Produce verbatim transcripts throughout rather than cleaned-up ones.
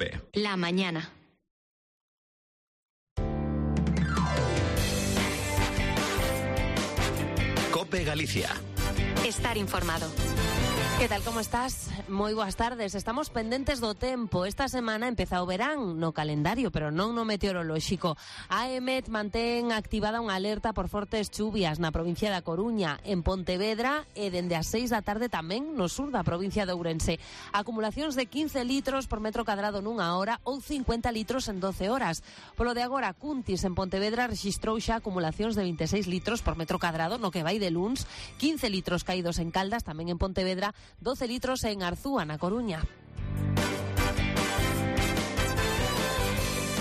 COPE. La mañana. COPE Galicia. Estar informado. Que tal, como estás? Moi boas tardes. Estamos pendentes do tempo. Esta semana empeza o verán no calendario, pero non no meteorolóxico. A EMET mantén activada unha alerta por fortes chuvias na provincia da Coruña, en Pontevedra e dende as seis da tarde tamén no sur da provincia de Ourense. Acumulacións de quince litros por metro cadrado nunha hora ou cincuenta litros en doce horas. Polo de agora, Cuntis en Pontevedra rexistrou xa acumulacións de vinte e seis litros por metro cadrado no que vai de luns, quince litros caídos en Caldas, tamén en Pontevedra, doce litros en Arzúa, na Coruña.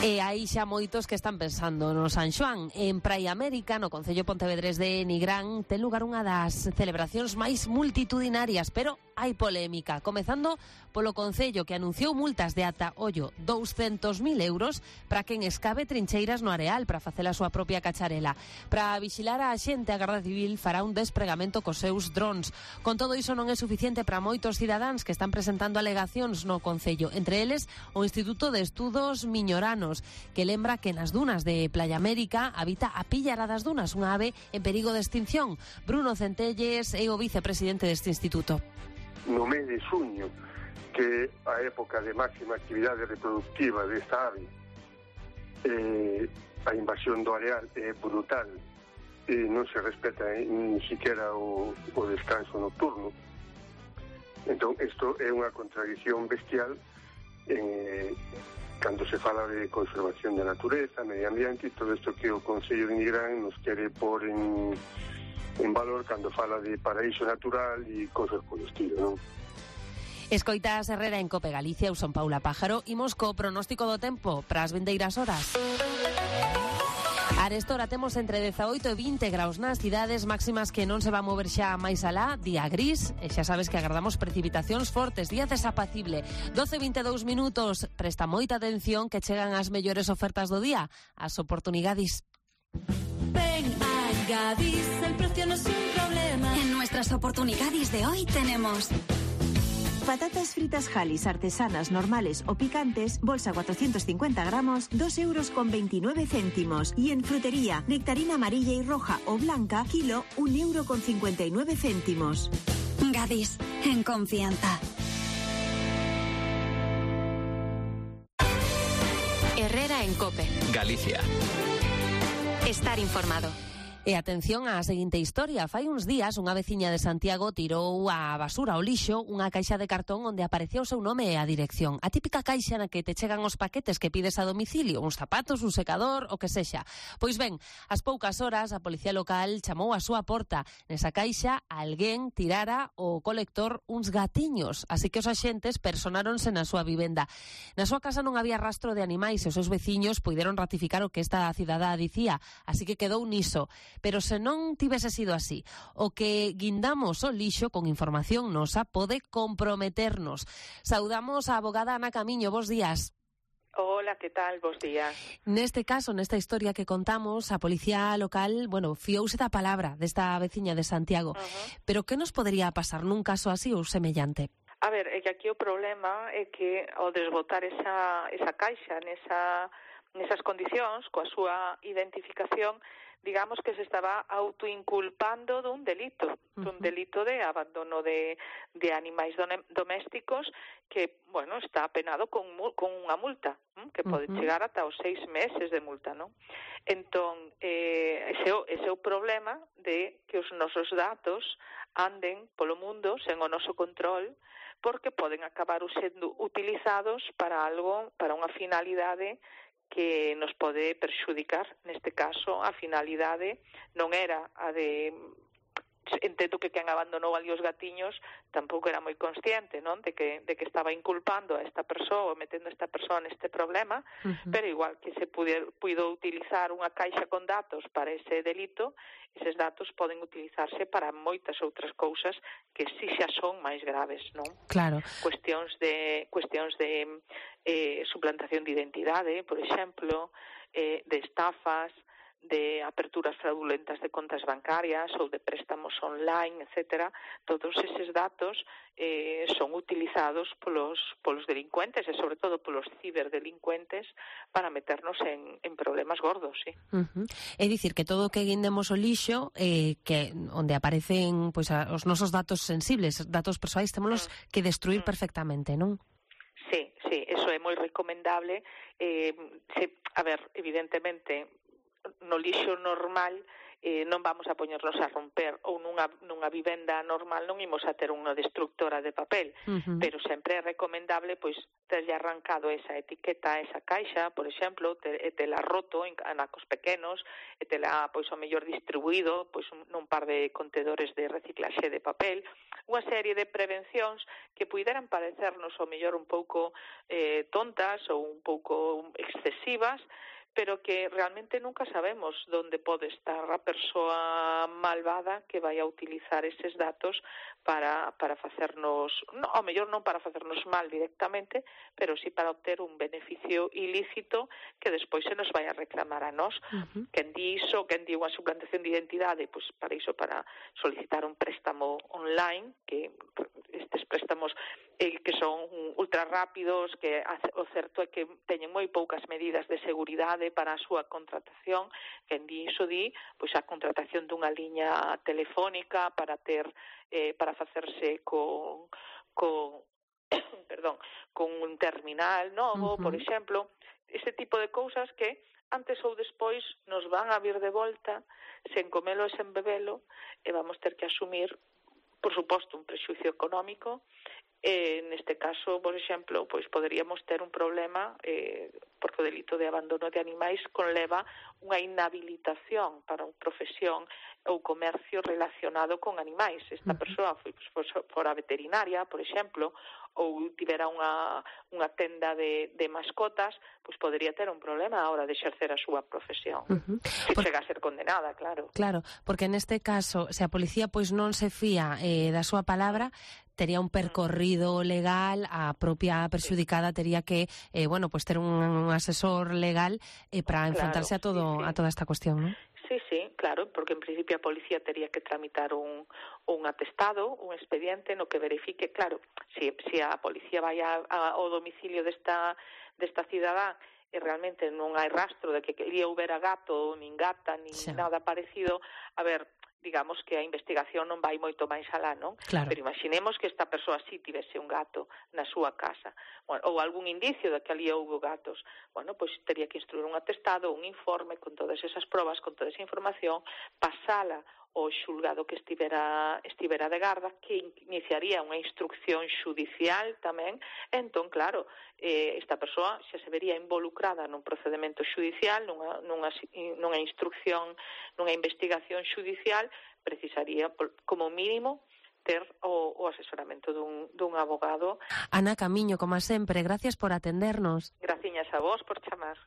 E hai xa moitos que están pensando no San Xoán. En Praia América, no concello pontevedrés de Nigrán, ten lugar unha das celebracións máis multitudinarias, pero hai polémica, comezando polo concello que anunciou multas de ata, ollo, douscentos mil euros para quen escabe trincheiras no areal para facer a súa propia cacharela. Para vixilar a xente, a Garda Civil fará un despregamento cos seus drons. Con todo iso non é suficiente para moitos cidadáns que están presentando alegacións no concello, entre eles o Instituto de Estudos Miñoranos, que lembra que nas dunas de Playa América habita a píllara das dunas, unha ave en perigo de extinción. Bruno Centelles é o vicepresidente deste instituto. No mes de xuño, que a época de máxima actividade reproductiva desta ave, eh, a invasión do areal é brutal e non se respeta eh, ni siquiera o, o descanso nocturno. Entón, isto é unha contradición bestial eh, cando se fala de conservación da natureza, medio ambiente e todo isto que o Concello de Nigrán nos quere pôr en, en valor cando fala de paraíso natural e cosas polo estilo, non? Escoitas Herrera en COPE Galicia, eu son Paula Pájaro, imos co pronóstico do tempo para as vindeiras horas. Arestora temos entre dezaoito e vinte graus nas cidades, máximas que non se va a mover xa máis alá, día gris, e xa sabes que agardamos precipitacións fortes, día desapacible. doce e vinte e dous minutos, presta moita atención que chegan as mellores ofertas do día, as oportunidades. Ven a Gadis, el precio no es un problema. En nuestras oportunidades de hoy tenemos patatas fritas Halis artesanas normales o picantes, bolsa cuatrocientos cincuenta gramos, dos euros con veintinueve céntimos. Y en frutería, nectarina amarilla y roja o blanca, kilo, un euro con cincuenta y nueve céntimos. Gadis, en confianza. Herrera en COPE. Galicia. Estar informado. E atención á seguinte historia. Fai uns días unha veciña de Santiago tirou a basura ao lixo unha caixa de cartón onde aparecía o seu nome e a dirección. A típica caixa na que te chegan os paquetes que pides a domicilio, uns zapatos, un secador, o que sexa. Pois ben, ás poucas horas a policía local chamou a súa porta. Nesa caixa alguén tirara o colector uns gatiños, así que os axentes personáronse na súa vivenda. Na súa casa non había rastro de animais e os seus veciños puideron ratificar o que esta cidadá dicía, así que quedou niso. Pero se non tivese sido así, o que guindamos o lixo con información nosa pode comprometernos. Saudamos a abogada Ana Camiño, bos días. Hola, que tal? Bos días. Neste caso, nesta historia que contamos, a policía local, bueno, fiouse da palabra desta veciña de Santiago. Uh-huh. Pero que nos podería pasar nun caso así ou semellante? A ver, é que aquí o problema é que ao desbotar esa, esa caixa nesa, nesas condicións, coa súa identificación, digamos que se estaba autoinculpando dun delito, uh-huh. dun delito de abandono de, de animais domésticos que, bueno, está penado con, con unha multa, ¿eh? Que pode uh-huh. chegar ata os seis meses de multa, non? Entón, eh, ese, ese é o problema de que os nosos datos anden polo mundo sen o noso control, porque poden acabar sendo utilizados para algo, para unha finalidade que nos pode perxudicar. Neste caso, a finalidade non era a de... Entendo que quen abandonou ali os gatiños tampouco era moi consciente, non? De que, de que estaba inculpando a esta persoa, metendo a esta persoa neste problema, uh-huh. pero igual que se pude, puido utilizar unha caixa con datos para ese delito, eses datos poden utilizarse para moitas outras cousas que si xa son máis graves, non? Claro. Cuestións de, cuestións de eh, suplantación de identidade, por exemplo, eh, de estafas, de aperturas fraudulentas de contas bancarias ou de préstamos online, etcétera, todos eses datos eh, son utilizados polos, polos delincuentes e sobre todo polos ciberdelincuentes para meternos en, en problemas gordos, sí. Uh-huh. É dicir, que todo o que guindemos o lixo, eh, que onde aparecen pois, a, os nosos datos sensibles, datos persoais, témolos mm. que destruir mm. perfectamente, non? Sí, sí, eso é moi recomendable. Eh, se, a ver, evidentemente, no lixo normal eh, non vamos a poñernos a romper, ou nunha, nunha vivenda normal non imos a ter unha destructora de papel, uh-huh. pero sempre é recomendable pois terlle arrancado esa etiqueta, esa caixa, por exemplo, te, e tela roto en anacos pequenos, e tela pois ao mellor distribuído pois nun par de contedores de reciclaxe de papel, unha serie de prevencións que puideran parecernos ao mellor un pouco eh, tontas ou un pouco excesivas, pero que realmente nunca sabemos onde pode estar a persoa malvada que vai a utilizar eses datos para, para facernos, no, ao mellor non para facernos mal directamente, pero sí para obter un beneficio ilícito que despois se nos vai a reclamar a nós. Uh-huh. Quen di iso, quen di unha suplantación de identidade, pois para iso, para solicitar un préstamo online, que estes préstamos eh, que son ultra rápidos, que o certo é que teñen moi poucas medidas de seguridade para a súa contratación. Quen di iso di pois a contratación dunha liña telefónica para ter eh, para facerse con con perdón, con un terminal novo, uh-huh. por exemplo, ese tipo de cousas que antes ou despois nos van a vir de volta sen comelo e sen bebelo, e vamos ter que asumir, por suposto, un prexuicio económico. Eh, neste caso, por exemplo, pois poderíamos ter un problema eh, porque o delito de abandono de animais conleva unha inhabilitación para unha profesión ou comercio relacionado con animais. Esta persoa foi, pois, fora veterinaria, por exemplo, ou tivera unha, unha tenda de, de mascotas, pois podería ter un problema a hora de exercer a súa profesión. Uh-huh. Se Por... chega a ser condenada, claro. Claro, porque neste caso, se a policía pois non se fía eh, da súa palabra, tería un percorrido legal, a propia perxudicada tería que, eh, bueno, pues ter un, un asesor legal eh, para claro, enfrentarse a todo sí, sí. a toda esta cuestión, ¿no? Sí, sí, claro, porque en principio a policía tería que tramitar un, un atestado, un expediente no que verifique, claro, si, si a policía vai a, a, ao domicilio desta, desta cidadá e realmente non hai rastro de que ali houbera gato, nin gata, nin sí. nada parecido, a ver, digamos que a investigación non vai moito máis alá, non? Claro. Pero imaginemos que esta persoa sí tivese un gato na súa casa, bueno, ou algún indicio de que ali houve gatos. Bueno, pois tería que instruir un atestado, un informe con todas esas probas, con toda esa información, pasala ao xulgado que estivera estivera de garda, que iniciaría unha instrucción xudicial tamén. Entón, claro, eh, esta persoa xa se vería involucrada nun procedimento xudicial, nunha, nunha, nunha instrucción, nunha investigación xudicial, precisaría, como mínimo, ter o, o asesoramento dun, dun abogado. Ana Camiño, como sempre, gracias por atendernos. Graciñas a vos por chamar.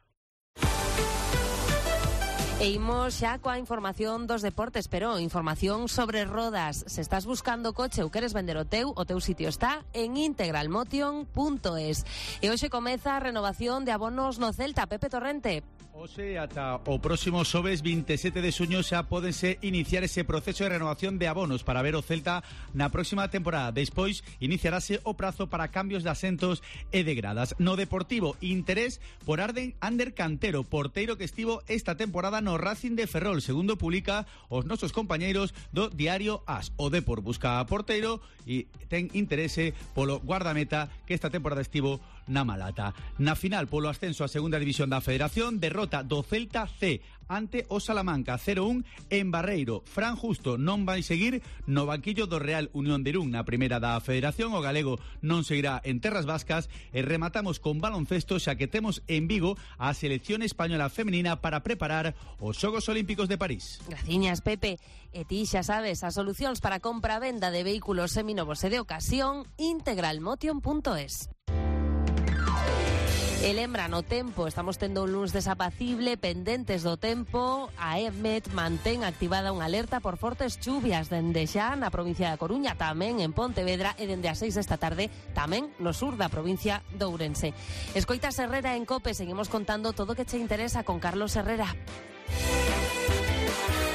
E imos xa coa información dos deportes, pero información sobre rodas. Se estás buscando coche ou queres vender o teu, o teu sitio está en integralmotion punto es. E hoxe comeza a renovación de abonos no Celta. Pepe Torrente. Hoxe ata o próximo xoves vinte e sete de xuño xa pódense iniciar ese proceso de renovación de abonos para ver o Celta na próxima temporada. Despois iniciarase o prazo para cambios de asentos e de gradas. No Deportivo, interés por Arden Ander Cantero, porteiro que estivo esta temporada no Racing de Ferrol, segundo publica os nosos compañeiros do diario As. O Depor busca a porteiro e ten interese polo guardameta que esta temporada estivo na Malata. Na final, polo ascenso a segunda división da Federación, derrota do Celta C ante o Salamanca cero un en Barreiro. Fran Justo non vai seguir no banquillo do Real Unión de Irún na primeira da Federación. O galego non seguirá en terras vascas. E rematamos con baloncesto, xa que temos en Vigo a selección española femenina para preparar os Xogos Olímpicos de París. Graciñas, Pepe. E ti xa sabes, as solucións para compra-venda de vehículos seminovos e de ocasión, integralmotion punto es. E lembra, no tempo, estamos tendo un luns desapacible, pendentes do tempo. A EMET mantén activada unha alerta por fortes chuvias dende xa na provincia da Coruña, tamén en Pontevedra, e dende as seis desta tarde tamén no sur da provincia de Ourense. Escoitas Herrera en COPE, seguimos contando todo o que che interesa con Carlos Herrera. Galicia.